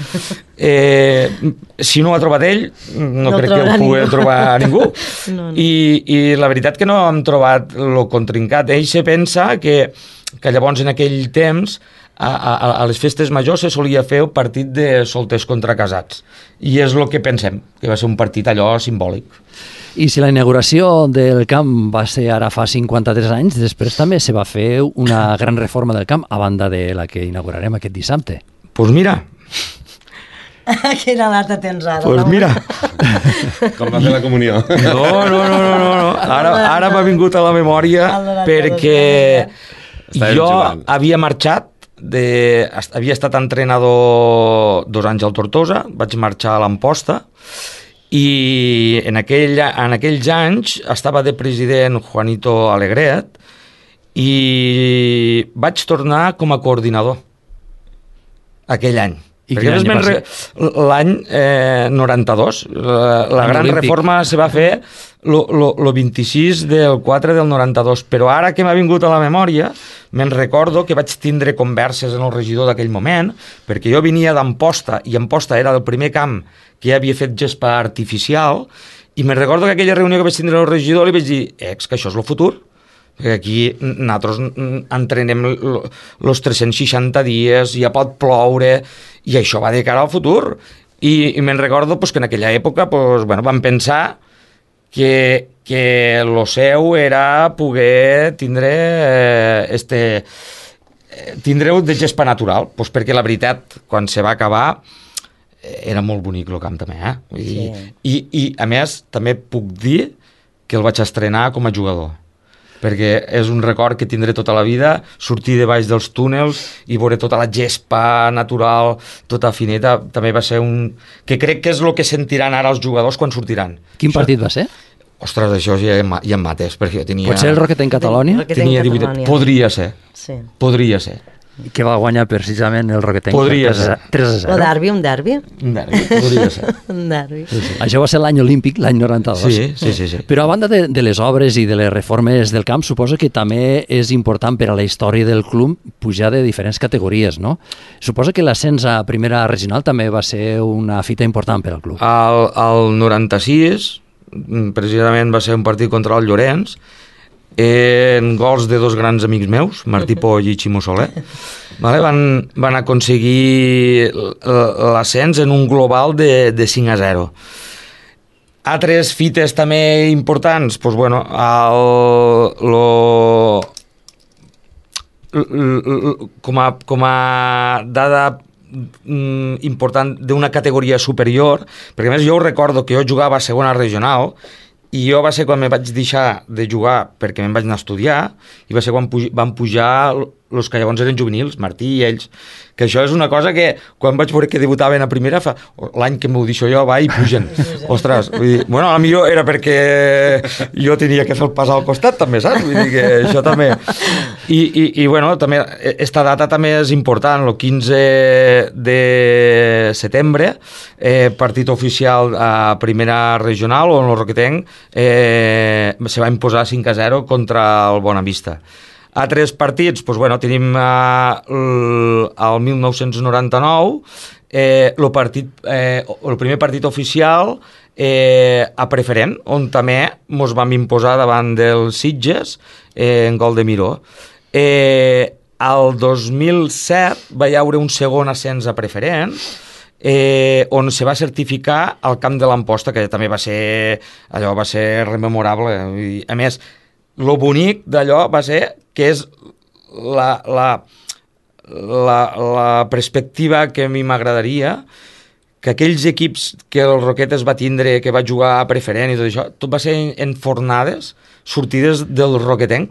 Si no ho ha trobat ell, no crec que ho pugui trobar ningú. No. I la veritat que no hem trobat el contraincat. Ell se pensa que llavors en aquell temps a les festes majors se solia fer un partit de solters contra casats, i és el que pensem, que va ser un partit allò simbòlic. I si la inauguració del camp va ser ara fa 53 anys, després també se va fer una gran reforma del camp, a banda de la que inaugurarem aquest dissabte. Doncs mira... Quina data tens ara? Doncs mira... Com va fer la comunió? No. Ara m'ha vingut a la memòria perquè jo havia marxat, havia estat entrenador 2 anys al Tortosa, vaig marxar a l'Amposta, i en aquells anys estava de president Juanito Alegret, i vaig tornar com a coordinador aquell any. Perquè l'any 92, la gran reforma se va fer el 26 del 4 del 92, però ara que m'ha vingut a la memòria, me'n recordo que vaig tindre converses en el regidor d'aquell moment, perquè jo venia d'Amposta, i Amposta era el primer camp que ja havia fet gespa artificial, i me'n recordo que aquella reunió que vaig tindre el regidor li vaig dir, que això és el futur, perquè aquí nosaltres entrenem els 360 dies, ja pot ploure, i això va de cara al futur. I me'n recordo que en aquella època vam pensar que el seu era poder tindre-ho de gespa natural, perquè la veritat, quan se va acabar, era molt bonic el camp també, I a més també puc dir que el vaig estrenar com a jugador, perquè és un record que tindré tota la vida, sortir de baix dels túnels i veure tota la gespa natural, tota fineta, també va ser que crec que és el que sentiran ara els jugadors quan sortiran. Quin partit va ser? Ostres, això ja em mates, perquè jo tenia... Pot ser el Roquet en Catalonia? Tenia 18... Podria ser. que va guanyar precisament el Roquetenc. Podria ser. 3-0. O derbi, un derbi. Un derbi, podria ser. Un derbi. Això va ser l'any olímpic, l'any 92. Sí. Però a banda de les obres i de les reformes del camp, suposo que també és important per a la història del club pujar de diferents categories, no? Suposo que l'ascens a primera regional també va ser una fita important per al club. Al 96, precisament va ser un partit contra el Llorenç, en gols de dos grans amics meus, Martí Poll i Ximo Soler, vale? van aconseguir l'ascens en un global de 5-0. Altres fites també importants, doncs, bueno, com a dada important d'una categoria superior, perquè a més jo recordo que jo jugava a segona regional i jo va ser quan me vaig deixar de jugar perquè me'n vaig anar a estudiar i va ser quan van pujar els que llavors eren juvenils, Martí i ells, que això és una cosa que quan vaig veure que debutaven a primera, l'any que m'ho deixo jo, va i pugen. Ostres, vull dir, bueno, a millor era perquè jo tenia que fer el pas al costat també, saps? Vull dir que això també... I bueno, també, esta data també és important, el 15 de setembre, partit oficial a primera regional, on el Roquetenc se va imposar 5-0 contra el Bonavista. Altres partits, doncs, bueno, tenim el 1999, el primer partit oficial a preferent, on també ens vam imposar davant dels Sitges en gol de Miró. El 2007 va hi haure un segon ascens a preferent, on se va certificar el camp de l'Amposta, que també va ser rememorable. A més, lo bonic d'allò va ser que és la perspectiva que a mi m'agradaria, que aquells equips que el Roquetes va tindre, que va jugar a preferent i tot això, tot va ser en fornades sortides del Roquetenc.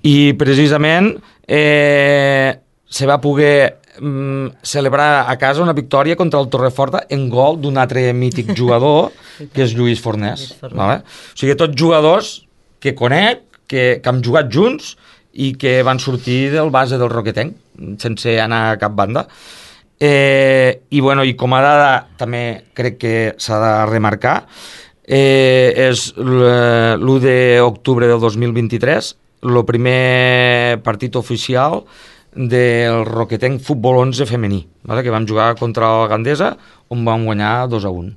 I precisament se va poder celebrar a casa una victòria contra el Torreforta en gol d'un altre mític jugador, que és Lluís Fornés. Vale? O sigui, tots jugadors que conec, que han jugat junts i que van sortir del base del Roquetenc, sense anar a cap banda. I com a dada també crec que s'ha de remarcar, és l'1 d'octubre del 2023, el primer partit oficial del Roquetenc Futbol 11 femení, vale? Que vam jugar contra el Gandesa, on vam guanyar 2-1.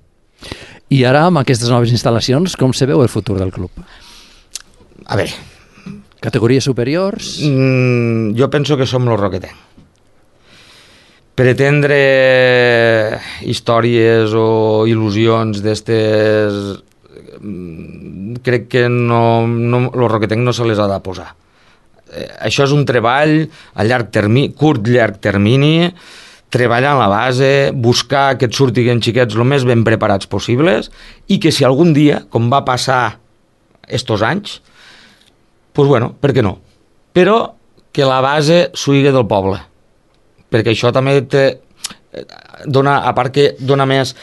I ara, amb aquestes noves instal·lacions, com se veu el futur del club? A veure... Categories superiors? Jo penso que som el Roquetenc. Pretendre històries o il·lusions d'estes, crec que el Roquetenc no se les ha de posar. Això és un treball a curt-llarg termini, treballar en la base, buscar que et surtin xiquets el més ben preparats possibles i que si algun dia, com va passar estos anys, doncs bueno, per què no? Però que la base s'huigui del poble, perquè això també dona, a part que dona més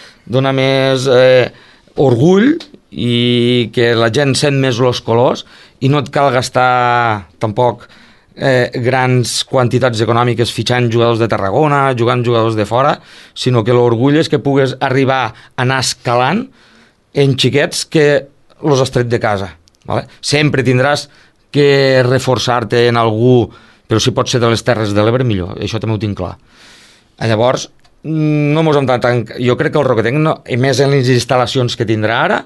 orgull i que la gent sent més els colors i no et cal gastar tampoc grans quantitats econòmiques fitxant jugadors de Tarragona, jugant jugadors de fora, sinó que l'orgull és que pugues arribar a anar escalant en xiquets que els has tret de casa. Vale? Sempre tindràs que reforçar-te en algú, però si pot ser de les Terres de l'Ebre, millor. Això també ho tinc clar. Llavors, no mos hem de tancar. Jo crec que el Roquetenc, i més en les instal·lacions que tindrà ara,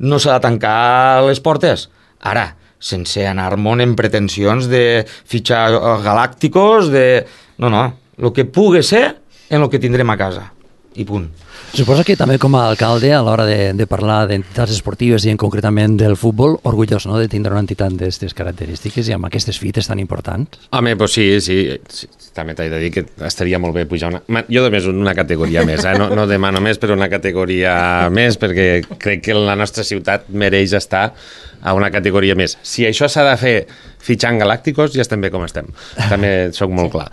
no s'ha de tancar les portes. Ara, sense anar-me'n en pretensions de fitxar galàcticos, No, el que pugui ser en el que tindrem a casa. I punt. Suposa que també com a alcalde, a l'hora de parlar d'entitats esportives i en concretament del futbol, orgullós, no?, de tindre una entitat d'aquestes característiques i amb aquestes fites tan importants. Home, doncs sí. També t'he de dir que estaria molt bé pujar jo només una categoria més, no demano més, però una categoria més, perquè crec que la nostra ciutat mereix estar a una categoria més. Si això s'ha de fer fitxant galàcticos, ja estem bé com estem. També soc molt clar.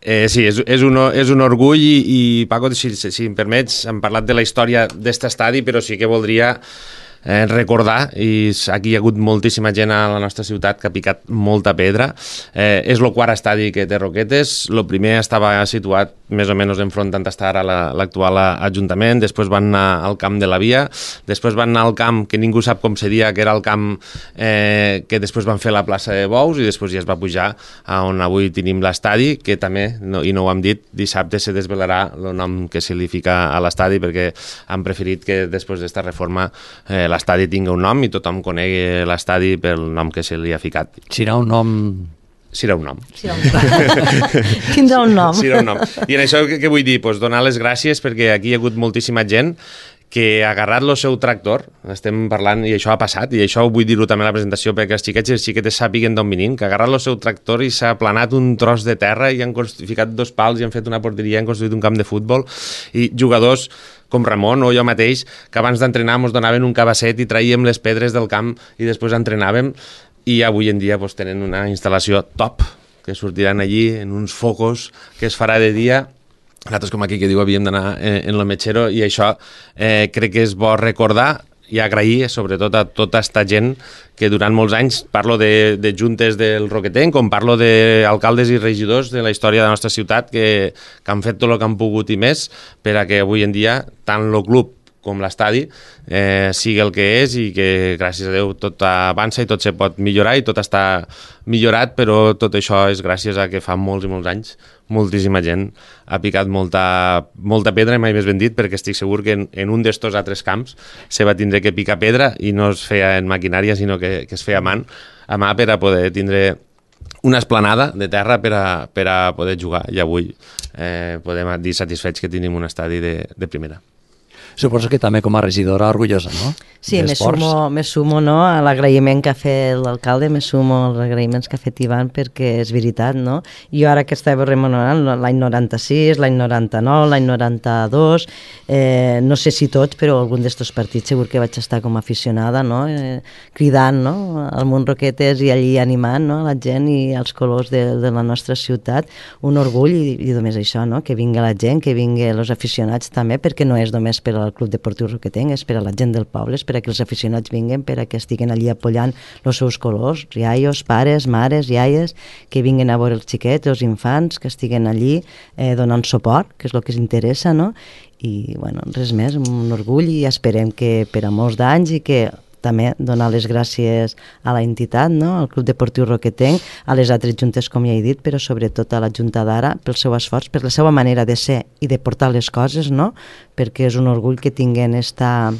Sí, és un orgull i Paco, si em permets, hem parlat de la història d'este estadi, però sí que voldria recordar, i aquí hi ha hagut moltíssima gent a la nostra ciutat que ha picat molta pedra. És el quart estadi que té Roquetes. El primer estava situat més o menys enfront on està ara l'actual Ajuntament, després van anar al camp de la Via, després van anar al camp que ningú sap com seria, que era el camp que després van fer la plaça de Bous, i després ja es va pujar a on avui tenim l'estadi, que també, i no ho hem dit, dissabte se desvelarà el nom que se li fica a l'estadi, perquè han preferit que després d'esta reforma l'estadi tingui un nom i tothom conegui l'estadi pel nom que se li ha ficat. Serà un nom... Serà un nom. Tindrà un nom. Serà un nom. I en això què vull dir? Pues donar les gràcies perquè aquí hi ha hagut moltíssima gent que ha agarrat el seu tractor, estem parlant, i això ha passat, i això vull dir-ho també a la presentació perquè els xiquets i les xiquetes sàpiguen d'on venim, que ha agarrat el seu tractor i s'ha aplanat un tros de terra i han ficat 2 pals i han fet una porteria, han construït un camp de futbol, i jugadors com Ramon o jo mateix, que abans d'entrenar ens donaven un cabasset i traíem les pedres del camp i després entrenàvem, i avui en dia tenen una instal·lació top, que sortiran allí en uns focos que es farà de dia. Nosaltres, com aquí que diu, havíem d'anar en el metgero, i això crec que és bo recordar i agrair sobretot a tota esta gent que durant molts anys, parlo de juntes del Roquetenc, com parlo d'alcaldes i regidors de la història de la nostra ciutat que han fet tot el que han pogut i més per a que avui en dia tant el club com l'estadi sigui el que és, i que gràcies a Déu tot avança i tot se pot millorar i tot està millorat, però tot això és gràcies a que fa molts i molts anys moltíssima gent ha picat molta pedra, mai més ben dit, perquè estic segur que en un d'estos altres camps se va tindre que picar pedra i no es feia en maquinària, sinó que es feia a mà per a poder tindre una esplanada de terra per a poder jugar, i avui podem dir satisfets que tenim un estadi de primera. Suposo que també com a regidora orgullosa, no? Sí, me sumo no, a l'agraïment que ha fet l'alcalde, me sumo als agraïments que ha fet Ivan, perquè és veritat, no? Jo ara que estava remenorant l'any 96, l'any 99, l'any 92, no sé si tots, però algun d'estos partits segur que vaig estar com a aficionada, no? Cridant, no? Al món Roquetes i allí animant, no? La gent i els colors de la nostra ciutat. Un orgull, i només això, no? Que vingui la gent, que vingui els aficionats també, perquè no és només per al Club Deportiu Roquetenc, és per a la gent del poble, és per a que els aficionats vinguen, per a que estiguen allí apoyant els seus colors, iaios, pares, mares, iaies, que vinguen a veure els xiquets, els infants, que estiguen allí donant suport, que és el que els interessa, no? I, bueno, res més, un orgull, i esperem que per a molts d'anys, i que també donar les gràcies a la entitat, no? Al Club Deportiu Roquetenc, a les altres juntes, com ja he dit, però sobretot a la Junta d'ara, pel seu esforç, per la seva manera de ser i de portar les coses, no? Perquè és un orgull que tinguen esta...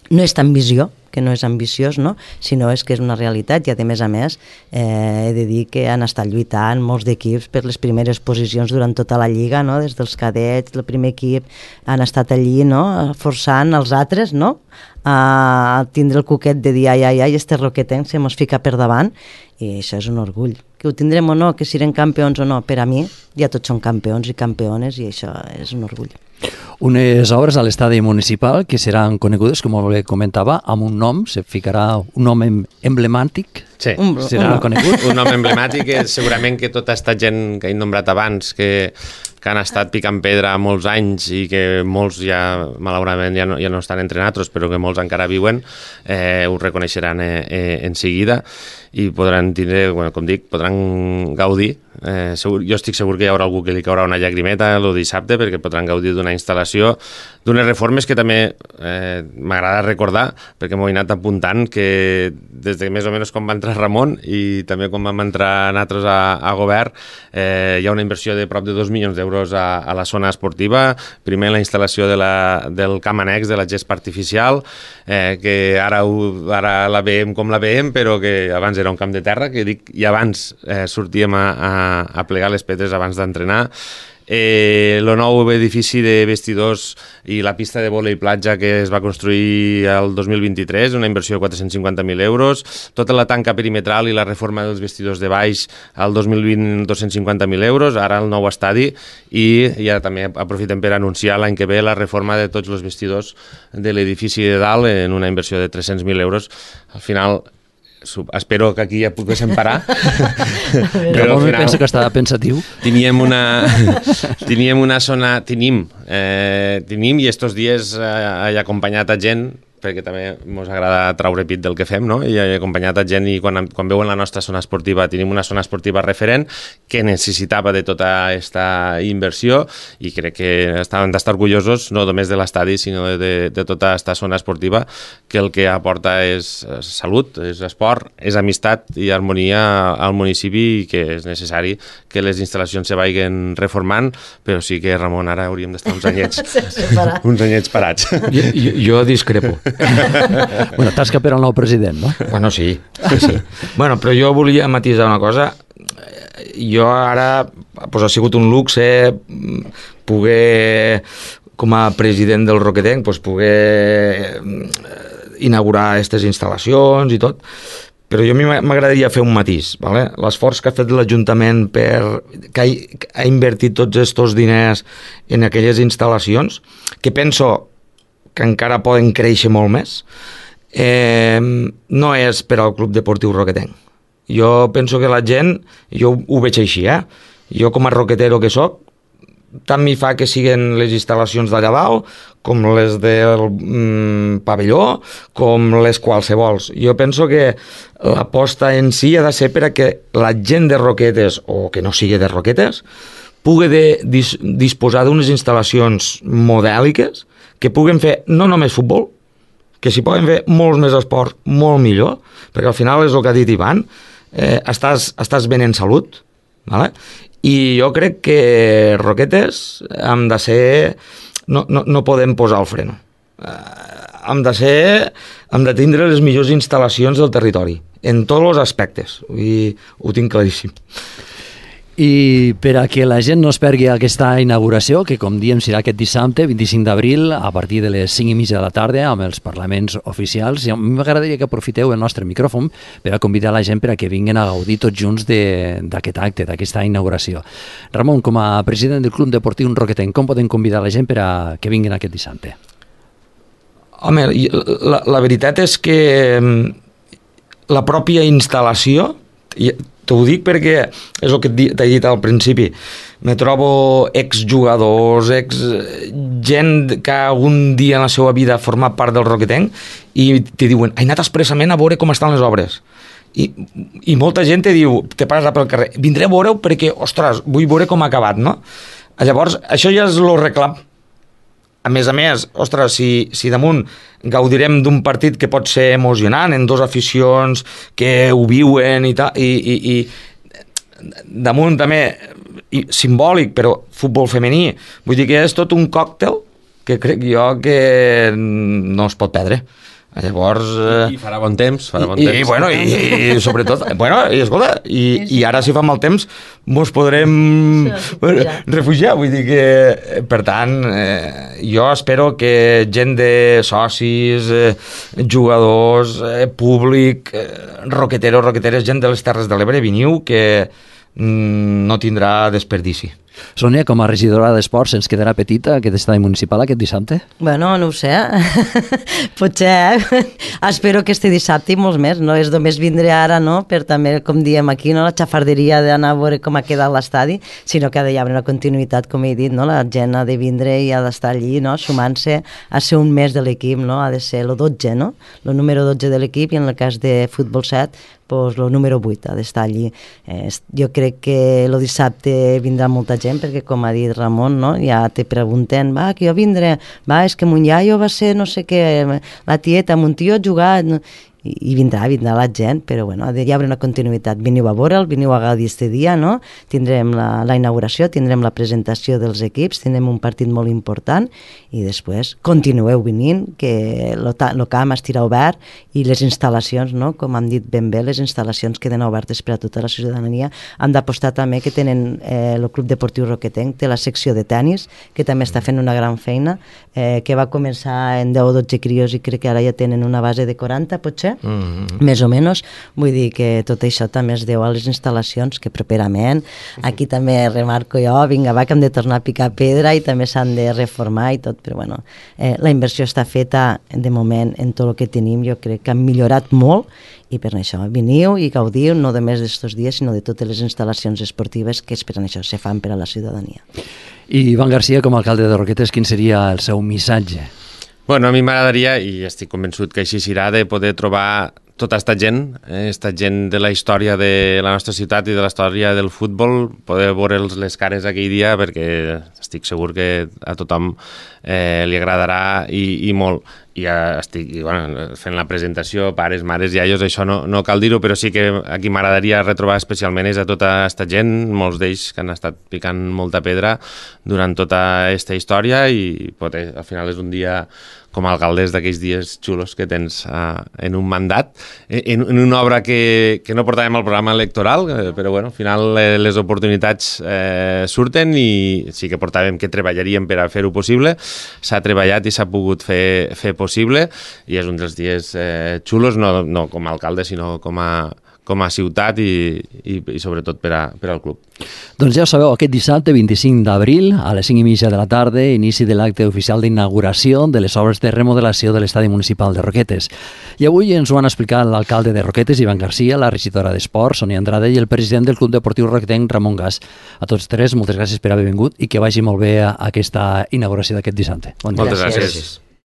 No és tan visió, que no és ambiciós, no? Sinó és que és una realitat, i a més he de dir que han estat lluitant molts d'equips per les primeres posicions durant tota la lliga, no? Des dels cadets, el primer equip, han estat allí, no? Forçant els altres, no? A tindre el cuquet de dir ai, este Roquetenc se mos fica per davant, i això és un orgull. Que ho tindrem o no, que siguem campions o no, per a mi ja tots són campions i campiones, i això és un orgull. Unes obres a l'estadi municipal que seran conegudes, com bé comentava, amb un nom, se ficarà un nom emblemàtic. Sí, serà conegut. Un nom emblemàtic, segurament que tota aquesta gent que he nombrat abans, que han estat picant pedra molts anys i que molts ja, malauradament, ja no estan entre nosaltres, però que molts encara viuen, ho reconeixeran en seguida, i podran tindre, com dic, podran gaudir. Jo estic segur que hi haurà algú que li caurà una llagrimeta el dissabte, perquè podran gaudir d'una instal·lació, d'unes reformes que també m'agrada recordar, perquè m'ho he anat apuntant, que des de més o menys com va entrar Ramon i també quan vam entrar nosaltres a govern, hi ha una inversió de prop de 2 milions d'euros a la zona esportiva. Primer la instal·lació del camp annex de la gespa artificial, que ara la veiem com la veiem, però que abans era un camp de terra, que dic, i abans sortíem a plegar les pedres abans d'entrenar. El nou edifici de vestidors i la pista de vòlei platja que es va construir el 2023, una inversió de 450.000 euros, tota la tanca perimetral i la reforma dels vestidors de baix al 2020, 250.000 euros, ara el nou estadi, i ja també aprofitem per anunciar l'any que ve la reforma de tots els vestidors de l'edifici de dalt en una inversió de 300.000 euros. Al final, espero que aquí ja poguéssim parar. Però al final penso que estava pensatiu. Teníem una zona, tenim, i estos dies he acompanyat a gent perquè també ens agrada traure pit del que fem, no? I he acompanyat a gent i quan veuen la nostra zona esportiva, tenim una zona esportiva referent que necessitava de tota aquesta inversió i crec que hem d'estar orgullosos no només de l'estadi, sinó de tota aquesta zona esportiva, que el que aporta és salut, és esport, és amistat i harmonia al municipi i que és necessari que les instal·lacions se vagin reformant, però sí que, Ramon, ara hauríem d'estar uns anyets parats. Jo discrepo. Bueno, tasca per al nou president, no? Bueno, sí. Bueno, però jo volia matisar una cosa. Jo ara, ha sigut un luxe poder, com a president del Roquetenc, poder inaugurar aquestes instal·lacions i tot, però jo a mi m'agradaria fer un matís, ¿vale? L'esforç que ha fet l'Ajuntament que ha invertit tots aquests diners en aquelles instal·lacions, que penso que encara poden créixer molt més, no és per al Club Deportiu Roquetenc. Jo penso que la gent, jo ho veig així, jo com a roquetero que soc, tant m'hi fa que siguin les instal·lacions d'allà dalt, com les del pavelló, com les qualsevols. Jo penso que l'aposta en si ha de ser per a que la gent de Roquetes, o que no sigui de Roquetes, pugui disposar d'unes instal·lacions modèliques que puguen fer no només futbol, que s'hi poden fer molts més esports, molt millor, perquè al final és el que ha dit Ivan, estàs ben en salut, ¿vale? I jo crec que Roquetes hem de ser... No podem posar el freno. Hem de tindre les millors instal·lacions del territori, en tots els aspectes, i ho tinc claríssim. I per a que la gent no es pergui aquesta inauguració, que com diem serà aquest dissabte, 25 d'abril, a partir de les 5:30 de la tarda, amb els parlaments oficials, i a mi m'agradaria que aprofiteu el nostre micròfon per a convidar la gent per a que vinguin a gaudir tots junts d'aquest acte, d'aquesta inauguració. Ramon, com a president del Club Deportiu Roquetenc, com podem convidar la gent per a que vinguin aquest dissabte? Home, la veritat és que la pròpia instal·lació... T'ho dic perquè és el que t'he dit al principi. Me trobo exjugadors, gent que algun dia en la seva vida ha format part del Roquetenc i te diuen, he anat expressament a veure com estan les obres. I molta gent te diu, te passa pel carrer, vindré a veure-ho perquè, ostres, vull veure com ha acabat, no? Llavors, això ja és el reclam. A més, ostres, si damunt gaudirem d'un partit que pot ser emocionant, en dos aficions que ho viuen i tal, i damunt també simbòlic, però futbol femení, vull dir que és tot un còctel que crec jo que no es pot perdre. Llavors... I farà bon temps, I sobretot, escolta, i ara si fa mal temps mos podrem refugiar, vull dir que, per tant, jo espero que gent de socis, jugadors, públic, roqueteres, gent de les Terres de l'Ebre, veniu, que no tindrà desperdici. Sònia, com a regidora d'Esports, ens quedarà petita aquest estadi municipal aquest dissabte? Bueno, no ho sé. Potser, espero que este dissabte i molts més, no és només vindre ara, no?, per també, com diem aquí, no?, la xafarderia d'anar a veure com ha quedat l'estadi, sinó que ha d'hi haver una continuïtat, com he dit, no?, la gent ha de vindre i ha d'estar allí, no?, sumant-se a ser un mes de l'equip, no?, ha de ser el 12, no?, el número 12 de l'equip, i en el cas de futbol 7, pues el número 8 ha d'estar allí. Jo crec que el dissabte vindrà molta gent, perquè com ha dit Ramon, no? Ja te pregunten, que jo vindré, és que mon iaio va ser no sé què, la tieta, mon tio ha jugat, no? I vindrà la gent, però bueno, hi haurà una continuïtat. Veniu a veure'l, veniu a gaudir este dia, no? Tindrem la inauguració, tindrem la presentació dels equips, tindrem un partit molt important i després continueu venint, que el camp estirà obert i les instal·lacions, no? Com han dit ben bé, les instal·lacions queden obertes per a tota la ciutadania. Hem d'apostar també que tenen el Club Deportiu Roquetenc, té la secció de tenis, que també està fent una gran feina, que va començar en 10 o 12 crios i crec que ara ja tenen una base de 40, potser, més o menys. Vull dir que tot això també es deu a les instal·lacions que properament, aquí també remarco jo, vinga, que hem de tornar a picar pedra i també s'han de reformar i tot, però bueno, la inversió està feta de moment en tot el que tenim, jo crec que han millorat molt i per això veniu i gaudiu no només d'estos dies sinó de totes les instal·lacions esportives que per això se fan per a la ciutadania. I Ivan García, com a alcalde de Roquetes, quin seria el seu missatge? Bueno, a mi m'agradaria, i estic convençut que així serà, de poder trobar tota esta gent de la història de la nostra ciutat i de la història del futbol, poder veure les cares aquell dia, perquè estic segur que a tothom li agradarà i molt. I estic fent la presentació, pares, mares, iaios, això no cal dir-ho, però sí que aquí m'agradaria retrobar especialment és a tota aquesta gent, molts d'ells que han estat picant molta pedra durant tota aquesta història, i poder, al final és un dia com a alcaldes d'aquells dies xulos que tens en un mandat, en una obra que no portàvem al programa electoral, però bueno, al final les oportunitats surten, i sí que portàvem que treballaríem per a fer-ho possible. S'ha treballat i s'ha pogut fer possible, i és un dels dies xulos, no com a alcalde, sinó com a ciutat i sobretot per al club. Doncs ja ho sabeu, aquest dissabte 25 d'abril a les 5:30 de la tarda, inici de l'acte oficial d'inauguració de les obres de remodelació de l'estadi municipal de Roquetes. I avui ens ho han explicat l'alcalde de Roquetes, Ivan Garcia, la regidora d'Esports, Sonia Andrade, i el president del Club Deportiu Roquetenc, Ramon Gas. A tots tres, moltes gràcies per haver vingut i que vagi molt bé aquesta inauguració d'aquest dissabte. Bon dia. Moltes gràcies.